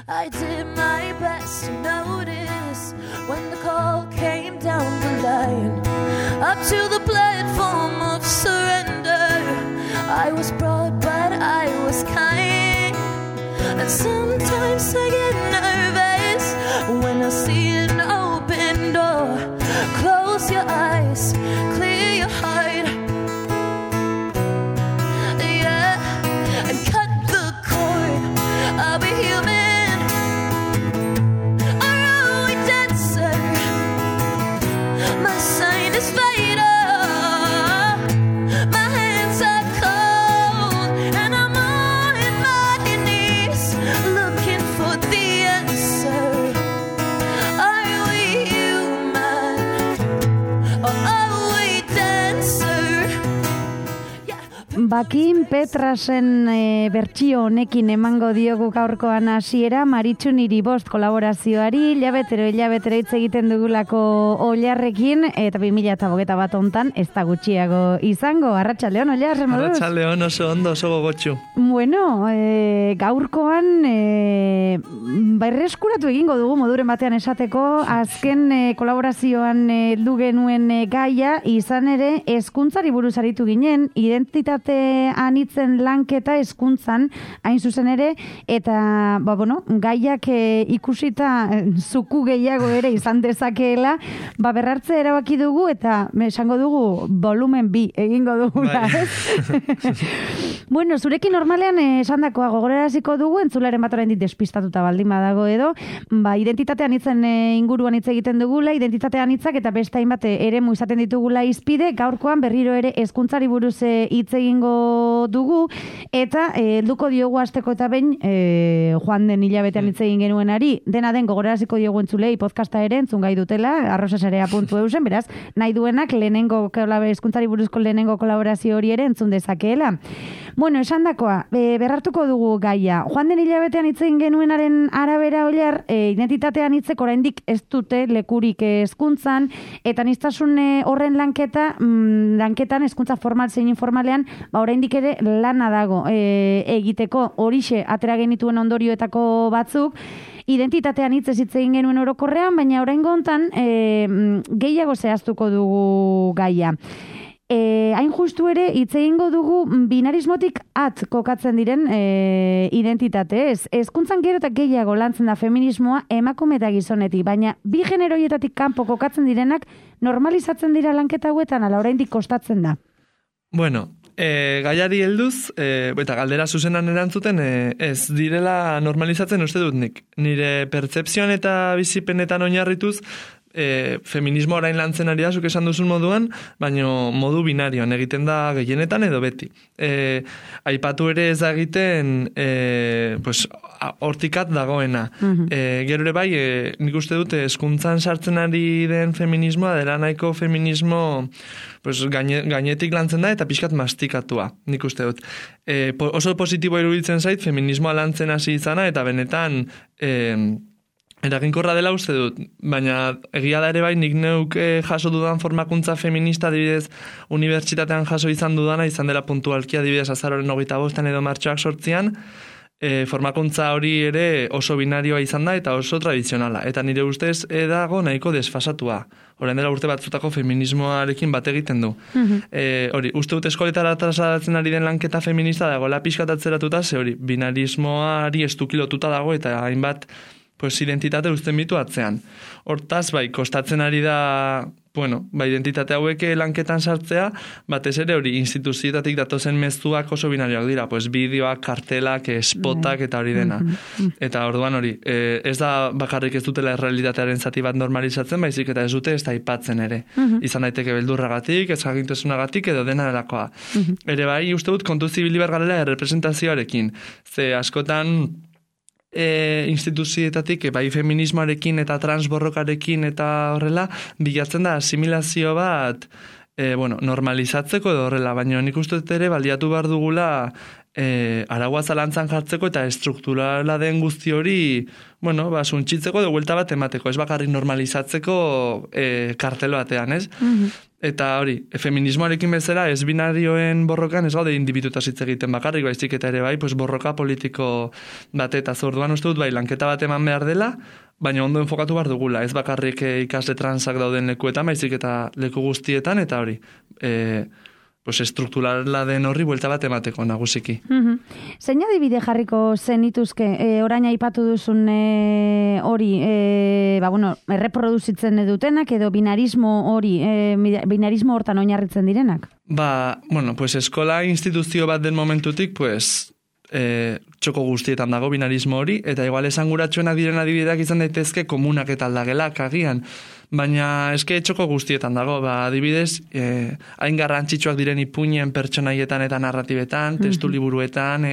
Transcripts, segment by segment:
I did my best to notice when the call came down the line, up to the platform of surrender. I was broad but I was kind, and sometimes I get nervous when I see an open door. Close your eyes, clear your heart, yeah, and cut the cord. I'll be human, are we dancer? My sign is fighter. My hands are cold, and I'm on my knees looking for the answer. Are we human, or are we dancer? Yeah. Bakin Petrasen bertsio honekin emango diogu gaurkoan hasiera Maritxu niri bost kolaborazioari, hilabetero hitz egiten dugulako Ollarrekin, eta 2021 hontan ez da gutxiago izango. Arratsaldeon, Ollar, moduz? Arratsaldeon, oso ondo, oso gogotsu. Bueno, gaurkoan berreskuratu egingo dugu moduren batean esateko, azken kolaborazioan heldu genuen gaia, izan ere hezkuntzari buruz aritu ginen, identitate anitzen lanketa hezkuntzan hain zuzen ere, eta gaiak ikusita zuku gehiago ere izan dezakeela, berrartze erabaki dugu eta esango dugu volumen 2 egingo dugula, ez? Bueno, zurekin normalean esandakoa gogoraraziko dugu, entzularen bat oraindik despistatuta baldin badago edo, identitate anitzen inguruan hitz egiten dugula, identitate anitzak eta beste hainbat eremu izaten ditugula hizpide, gaurkoan berriro ere hezkuntzari buruz hitz egingo dugu, eta helduko diogu hasteko eta behin joan den hilabetean hitz egin genuenari, dena den gogoraraziko diogu entzulei podcasta ere entzun gai dutela, arrosasarea.eusen, beraz, nahi duenak hezkuntzari buruzko lehenengo kolaborazio hori ere entzun dezakeela. Bueno, esandakoa, berrartuko dugu gaia. Joan den hilabetean hitz egin genuenaren arabera, Ollar, identitatean hitzek oraindik ez dute lekurik hezkuntzan, eta aniztasun horren lanketan hezkuntza formal zein informalean, oraindik ere lana dago egiteko. Horixe atera genituen ondorioetako batzuk, identitatean hitz egin genuen orokorrean, baina oraingo hontan gehiago zehaztuko dugu gaia. Hain justu ere hitz egingo dugu binarismotik at kokatzen diren identitate, ez? Hezkuntzan gero eta gehiago lantzen da feminismoa emakume eta gizonetik, baina bi generoietatik kanpo kokatzen direnak normalizatzen dira lanketa hauetan, ala oraindik kostatzen da. Bueno, gaiari helduz, eta galdera zuzenan erantzuten, ez direla normalizatzen uste dut nik. Nire pertzepzioan eta bizipenetan oinarrituz, feminismo orain lantzen ari da, zuk esan duzun moduan, baina modu binarioan egiten da gehienetan edo beti. Aipatu ere ez da egiten hortikat dagoena. Gero ere bai, nik uste dut hezkuntzan sartzen ari den feminismoa, dela nahiko feminismo gainetik lantzen da eta pixkat mastikatua, nik uste dut. Oso positibo iruditzen zait, feminismoa lantzen hasi izana eta benetan eraginkorra dela uste dut, baina egia da ere bai nik neuk jaso dudan formakuntza feminista adibidez unibertsitatean jaso izan dudana, izan dela puntualki adibidez azaroren 25 edo martxoak 8 formakuntza hori ere oso binarioa izan da eta oso tradizionala. Eta nire ustez dago nahiko desfasatua. Orain dela urte batzutako feminismoarekin bat egiten du. Hori, uste dut eskoletara trasladatzen ari den lanketa feminista dagoela pixkat atzeratuta, ze hori, binarismoari estukilotuta dago eta hainbat identitate uzten bitu atzean. Hortaz, kostatzen ari da, identitate hauek lanketan sartzea, batez ere hori instituzioetatik datozen mezuak oso binarioak dira, bideoak, kartelak, spotak eta hori dena. Eta orduan hori, ez da bakarrik ez dutela errealitatearen zati bat normalizatzen, baizik eta ez dute ez da aipatzen ere. Izan daiteke beldurragatik, ez jakintasunagatik edo dena delakoa. Ere bai, uste dut kontu zibili bergarela errepresentazioarekin. Ze askotan instituzioetatik, bai feminismoarekin eta transborrokarekin eta horrela, bilatzen da asimilazio bat normalizatzeko edo horrela, baina nik uste ere baliatu behar dugula araua zalantzan jartzeko eta estrukturala den guzti hori, bueno, suntxitzeko edo buelta bat emateko, ez bakarrik normalizatzeko kartelo batean, ez? Eta hori, feminismoarekin bezala, ez binarioen borrokan ez gaude indibiduta hitz egiten bakarrik, baizik eta ere bai, pues borroka politiko bateta zorduan uste dut, bai, lanketa bat eman behar dela, baina ondo enfokatu behar dugula, ez bakarrik ikasle transak dauden lekuetan, baizik eta leku guztietan, eta hori, pues estrukturala den horri buelta bat emateko nagusiki. Zein adibide jarriko zenituzke, orain aipatu duzun hori, erreproduzitzen dutenak edo binarismo hori, binarismo hortan oinarritzen direnak? Pues eskola instituzio bat den momentutik, pues, txoko guztietan dago binarismo hori, eta igual esanguratsuenak diren adibideak izan daitezke komunak eta aldagelak agian, baina eske txoko guztietan dago, adibidez, hain garrantzitsuak diren ipuinen pertsonaietan eta narratibetan, testu liburuetan,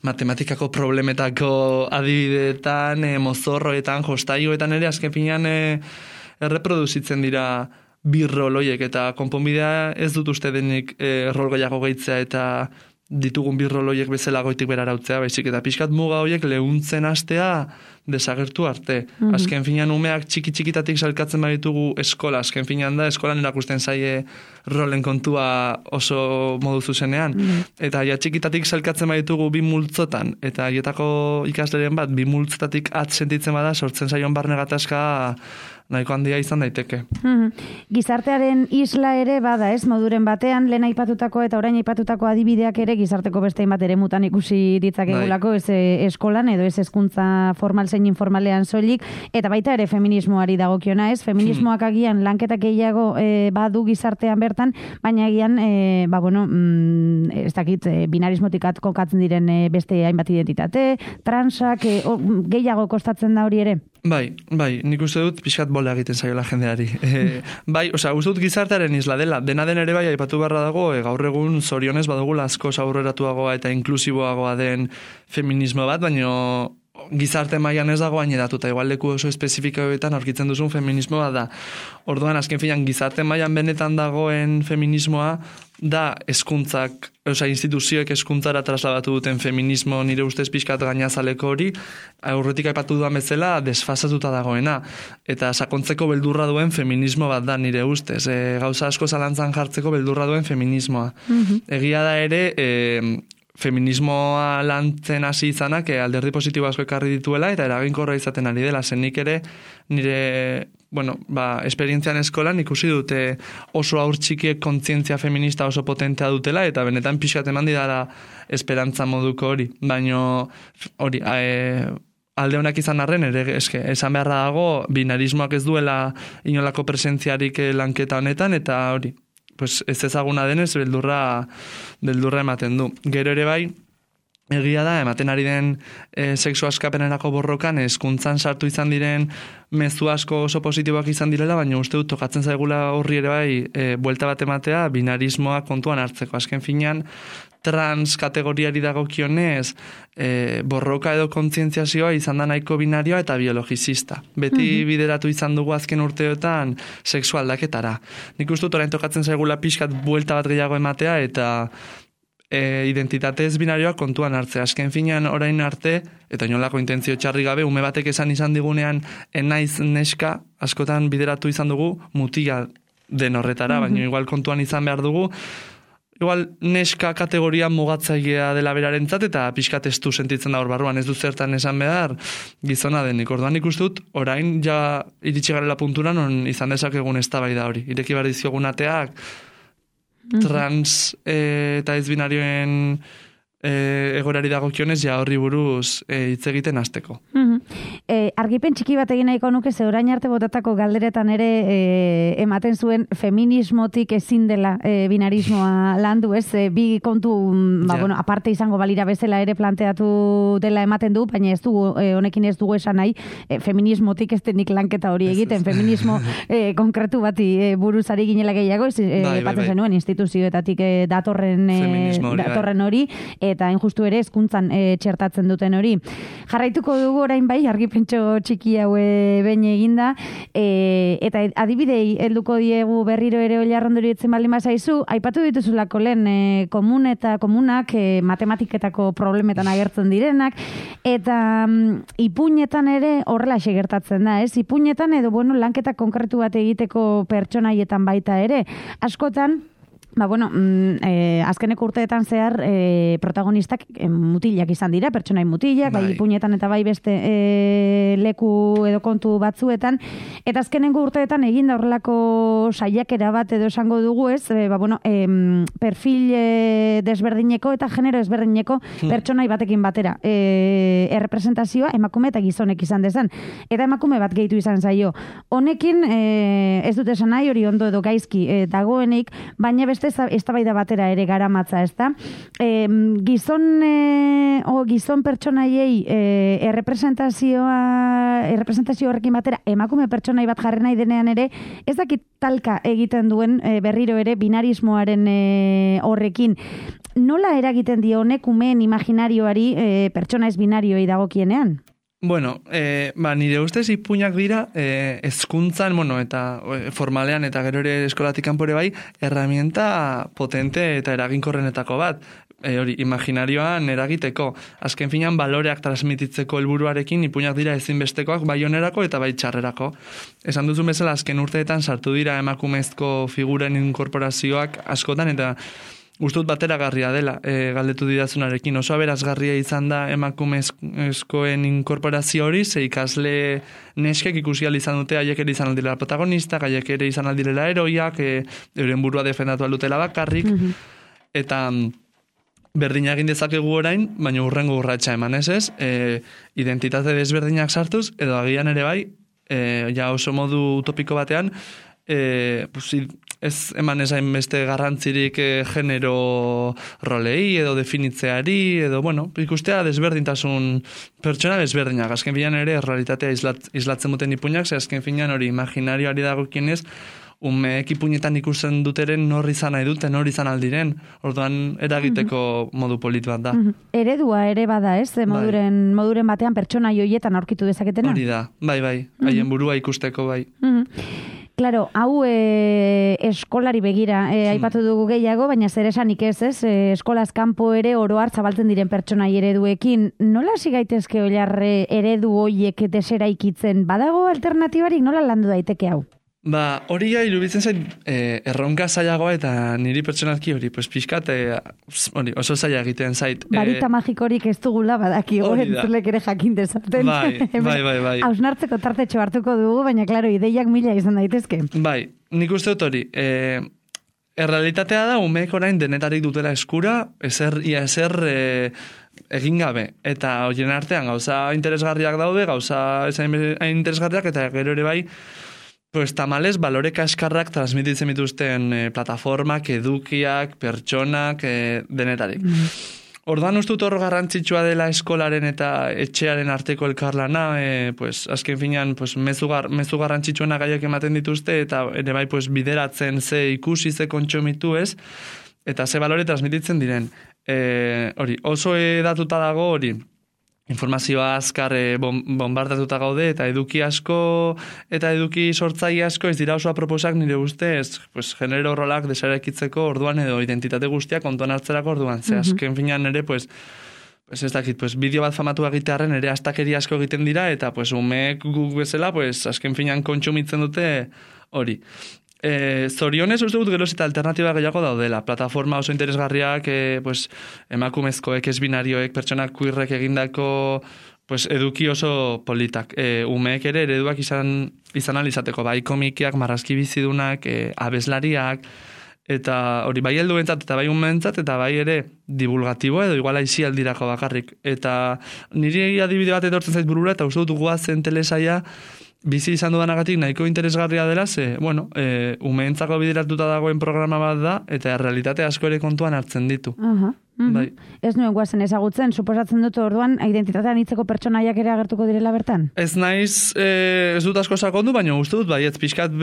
matematikako problemetako adibideetan, mozorroetan, jostailuetan ere, azken finean erreproduzitzen dira birroloiek, eta konponbidea ez dut uste denik rol gehiago gehitzea eta ditugun birroloiek bezala goitik berara utzea, baizik eta pixkat muga horiek lehuntzen hastea desagertu arte. Azken finean umeak txiki-txikitatik salkatzen baditugu eskola, azken finean da eskolan erakusten zaie rolen kontua oso modu zuzenean. Eta ja txikitatik salkatzen baditugu bi multzotan, eta haietako ikasleren bat bi multzotatik sentitzen bada sortzen zaion barne gatazka nahiko handia izan daiteke. Gizartearen isla ere bada, ez, moduren batean, lehen aipatutako eta orain aipatutako adibideak ere gizarteko beste hainbat eremutan ikusi ditzakegulako, ez eskolan edo ez hezkuntza formal zein informalean soilik, eta baita ere feminismoari dagokiona, ez? Feminismoak agian lanketak gehiago badu gizartean bertan, baina agian, ez dakit, binarismotik kokatzen diren beste hainbat identitate, transak, gehiago kostatzen da hori ere? Bai, nik uste dut pixkat bola egiten zaiola jendeari. Uste dut gizartearen isla dela. Dena den ere bai, aipatu beharra dago, gaur egun zorionez badugula asko aurreratuagoa eta inklusiboagoa den feminismo bat, baina gizarte mailan ez dago hainedatuta, igual leku oso espezifikoetan aurkitzen duzun feminismoa da. Orduan, azken finan, gizarte mailan benetan dagoen feminismoa da hezkuntzak, instituzioek hezkuntzara trasladatu duten feminismo nire ustez pixkat gainazaleko hori, aurretik aipatu duan bezala desfasatuta dagoena, eta sakontzeko beldurra duen feminismo bat da nire ustez, gauza asko zalantzan jartzeko beldurra duen feminismoa. Egia da ere, feminismoa lantzen hasi izanak alderdi positibo asko ekarri dituela eta eraginkorra izaten ari dela, zenik ere nire esperientzian eskolan ikusi dute oso haur txikiek kontzientzia feminista oso potentea dutela eta benetan pixkat eman didala esperantza moduko hori, baino hori alde honak izan arren ere esan beharra dago binarismoak ez duela inolako presentziarik lanketa honetan eta hori pues ez ezaguna denez beldurra ematen du. Gero ere bai, egia da, ematen ari den sexu askapenerako borrokan hezkuntzan sartu izan diren mezu asko oso positiboak izan direla, baina uste dut tokatzen zaigula horri ere bai buelta bat ematea binarismoa kontuan hartzeko. Azken finean, trans kategoriari dagokionez borroka edo kontzientziazioa izan da nahiko binarioa eta biologizista. Beti bideratu izan dugu azken urteotan sexu aldaketara. Nik uste dut orain tokatzen zaigula pixkat buelta bat gehiago ematea eta identitatez binarioa kontuan hartzea. Azken finean orain arte, eta inolako intentzio txarri gabe, ume batek izan digunean enaiz neska, askotan bideratu izan dugu mutila den horretara, baina igual kontuan izan behar dugu, igual neska kategoria mugatzailea dela berarentzat eta pixkat estu sentitzen da hor barruan, ez du zertan esan behar gizona denik. Orduan ikusten dut, orain ja iritsi garela puntura non izan dezakegun eztabaida hori. Ireki behar dizkiogun ateak trans eta ez binarioen egorari dagokionez ja horri buruz hitz egiten hasteko. Argipen txiki bat egin nahiko nuke, ze orain arte botatako galderetan ere ematen zuen feminismotik ezin dela binarismoa landu, ez? Bi kontu, aparte izango balira bezala ere planteatu dela ematen du, baina ez dugu, honekin ez dugu esan nahi, feminismotik ez denik lanketa hori egiten, feminismo konkretu bati buruzari ginela gehiago, batzen zenuen instituzioetatik datorren hori, eta hain justu ere hezkuntzan txertatzen duten hori. Jarraituko dugu orain bai, argipen saspentxo txiki hau behin eginda, eta adibidei helduko diegu berriro ere oilarrondori etzen baldin bazaizu, aipatu dituzulako lehen komunak matematiketako problemetan agertzen direnak, eta ipuinetan ere horrela gertatzen da, ez? Ipuinetan edo, lanketa konkretu bat egiteko pertsonaietan baita ere. Askotan, azkeneko urteetan zehar protagonistak mutilak izan dira, pertsonai mutilak, bai ipuinetan eta bai beste leku edo kontu batzuetan, eta azkeneko urteetan eginda horrelako saiakera bat edo esango dugu, ez? Perfil desberdineko eta genero desberdineko pertsonai batekin batera. Errepresentazioa emakume eta gizonek izan dezan. Eta emakume bat gehitu izan zaio. Honekin, ez dut esan nahi hori ondo edo gaizki dagoenik, baina beste eztabaida batera ere garamatza, ezta? Gizon pertsonaiei errepresentazio horrekin batera emakume pertsonai bat jarri nahi denean ere, ez dakit talka egiten duen berriro ere binarismoaren horrekin. Nola eragiten dio honek umeen imaginarioari pertsona ez binarioei dagokienean? Bueno, nire ustez ipuinak dira hezkuntzan, eta formalean eta gero ere eskolatik kanpore bai, herramienta potente eta eraginkorrenetako bat. Hori, imaginarioan eragiteko. Azken finean, baloreak transmititzeko helburuarekin ipuinak dira ezinbestekoak bai onerako eta bai txarrerako. Esan duzu bezala, azken urteetan sartu dira emakumezko figuren inkorporazioak askotan, eta gustut bateragarria dela, galdetu didazunarekin. Oso aberazgarria izan da emakumezkoen inkorporazio hori, ze ikasle neskek ikusi izan dute, haiek ere izan aldirela protagonistak, haiek ere izan aldirela heroiak, euren burua defendatu aldutela bakarrik, eta berdina egin dezakegu orain, baina urrengo urratsa eman ez, identitate desberdinak sartuz, edo agian ere bai, ja oso modu utopiko batean, ez eman ezain beste garrantzirik genero rolei edo definitzeari edo, ikustea desberdintasun pertsona desberdinak. Azken finean ere realitatea islatzen duten ipuinak, ze azken finean hori imaginarioari dagokienez, umeek ipuinetan ikusten duteren nor izan nahi duten, nor izan aldiren, orduan eragiteko modu polit bat da. Eredua ere bada, ez? Moduren batean pertsona joietan aurkitu dezaketena? Hori da, bai, haien burua ikusteko bai. Claro, hau eskolari begira, aipatu dugu gehiago, baina zer esanik ez, eskolaz kanpo ere oro har zabaltzen diren pertsonai ereduekin. Nola hasi gaitezke oilarre eredu hoiek deseraikitzen? Badago alternatibarik, nola landu daiteke hau? Hori iruditzen zait erronka zailagoa eta niri pertsonalki hori, pixkat oso zaila egiten zait. Barita magikorik ez dugula badaki, entzulek ere jakin dezaten. Bai. Hausnartzeko tartetxo hartuko dugu, baina klaro, ideiak mila izan daitezke. Bai, nik uste dut hori. Errealitatea da, umeek orain denetarik dutela eskura, ezer egin gabe. Eta horien artean gauza interesgarriak daude, gauza interesgarriak, eta gero ere bai, tamales, balore kaskarrak transmititzen dituzten plataformak, edukiak, pertsonak, denetarik. Orduan ustut hor garrantzitsua dela eskolaren eta etxearen arteko elkarlana, azken finean mezu garrantzitsuena gaiak ematen dituzte, eta ere bai bideratzen ze ikusi, ze kontsumitu ez, eta ze balore transmititzen diren. Hori, oso edatuta dago hori, informazioa azkar bombardatuta gaude, eta eduki asko eta eduki sortzaile asko ez dira oso aproposak nire ustez, genero rolak desarekitzeko orduan edo identitate guztiak kontuan hartzerako orduan. Ze azken finean ere, ez dakit, bideo bat famatu egitearen ere astakeri asko egiten dira, eta umeek guk bezala, azken finean kontsumitzen dute hori. Zorionez uste dut geroz eta alternatiba gehiago daudela. Plataforma oso interesgarriak, emakumezkoek, ez binarioek, pertsonak queerrek egindako eduki oso politak. Umeek ere ereduak izan alizateko, bai komikiak, marrazki bizidunak, abeslariak, eta hori bai helduentzat eta bai umeentzat, eta bai ere divulgatibo edo igual aizi aldirako bakarrik. Eta niri adibide bat etortzen zait burura, eta uste dut guazen telesaia bizi izan dudanagatik nahiko interesgarria dela, ze, umeentzako bideratuta dagoen programa bat da, eta realitate asko ere kontuan hartzen ditu. Bai. Ez nuen guazen ezagutzen, suposatzen dut orduan identitatean hitzeko pertsonaiak ere agertuko direla bertan? Ez naiz, ez dut asko sakondu, baina uste dut, bai, ez pixkat,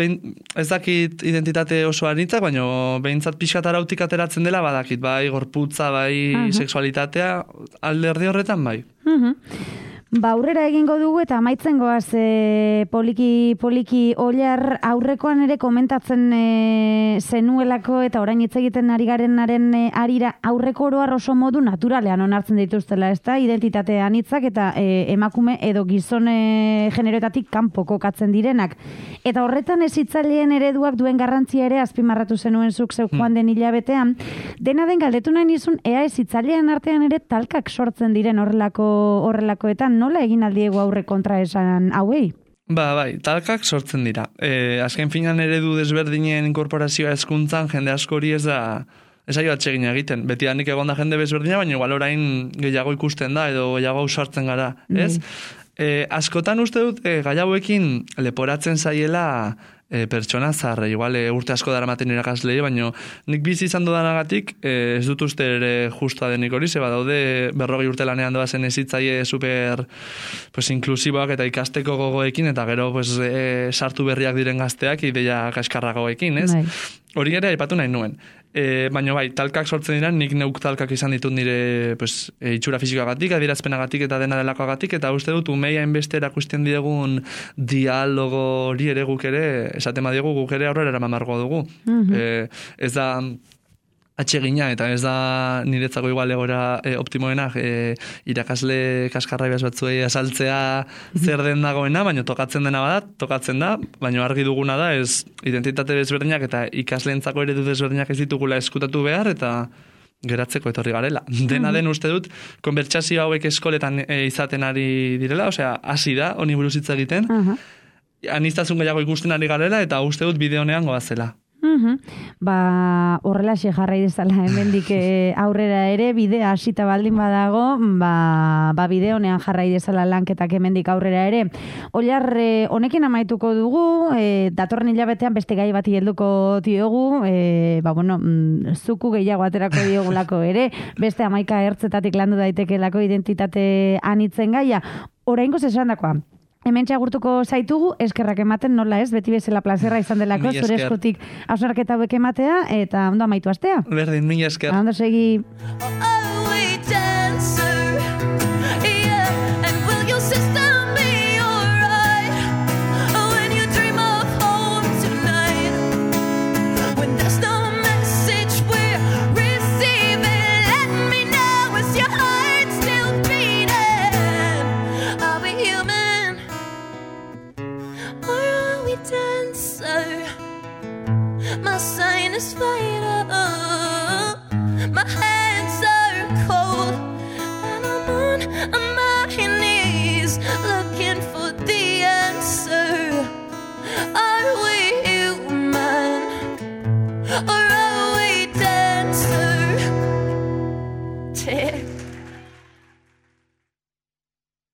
ez dakit identitate oso anitzak, baina behintzat pixkat arautik ateratzen dela, badakit, bai, gorputza, bai, sexualitatea, alderdi horretan, bai. Aurrera egingo dugu eta amaitzen goaz poliki Oilar aurrekoan ere komentatzen zenuelako eta orain hitz egiten ari garenaren arira aurreko oroar oso modu naturalean onartzen dituztela, ezta? Identitate anitzak eta emakume edo gizon generoetatik kanpo kokatzen direnak. Eta horretan hezitzaileen ereduak duen garrantzia ere azpimarratu zenuen zuk zeu joan den hilabetean. Dena den galdetu nahi nizun ea hezitzaileen artean ere talkak sortzen diren horrelakoetan. Nola egin aldiego aurre kontra esan hauei? Bai, talkak sortzen dira. Azken finan eredu desberdinen inkorporazioa hezkuntzan jende askori ez da esaio atsegin egiten. Beti danik egonda jende bezberdina, baina igual orain gehiago ikusten da edo gehiago ausartzen gara, ez? Askotan uste dut gai hauekin leporatzen zaiela pertsona zaharra, igual urte asko daramaten irakaslei, baina nik bizi izan dudanagatik ez dut uste ere justa denik hori, zeba daude 40 urte lanean doazen ezitzaile super inklusiboak eta ikasteko gogoekin, eta gero sartu berriak diren gazteak ideia kaskarragoekin, ez? Hori ere aipatu nahi nuen. Baina bai, talkak sortzen dira, nik neuk talkak izan ditut nire itxura fizikoagatik, adierazpenagatik eta dena delakoagatik, eta uste dut umeia enbeste erakusten diegun dialogo hori ere guk ere, esaten badiegu guk ere aurrera eraman dugu. Ez da atsegina eta ez da niretzako igual egora optimoena irakasle kaskarrai batzuei asaltzea zer den dagoena, baina tokatzen dena bada, tokatzen da, baina argi duguna da ez identitate desberdinak eta ikasleentzako eredu desberdinak ez ditugula eskutatu behar eta geratzeko etorri garela. Dena den uste dut, konbertsazio hauek eskoletan izaten ari direla, osea, hasi da, honi buruz hitz egiten, aniztasun gehiago ikusten ari garela eta uste dut bide honean goazela. Horrelaxe jarrai dezala hemendik aurrera ere bidea hasita baldin badago, bide honean jarrai dezala lanketak hemendik aurrera ere. Oilar, honekin amaituko dugu, datorren hilabetean beste gai bati helduko diogu, zuku gehiago aterako diogulako ere, beste 11 ertzetatik landu daitekelako identitate anitzen gaia. Oraingoz esandakoa. Hemen txagurtuko zaitugu, eskerrak ematen nola ez, beti bezala plazerra izan delako, zure eskutik hausnarketa hauek ematea, eta ondo amaitu astea. Berdin, mila esker. Ondo segi. My sinus fighter, my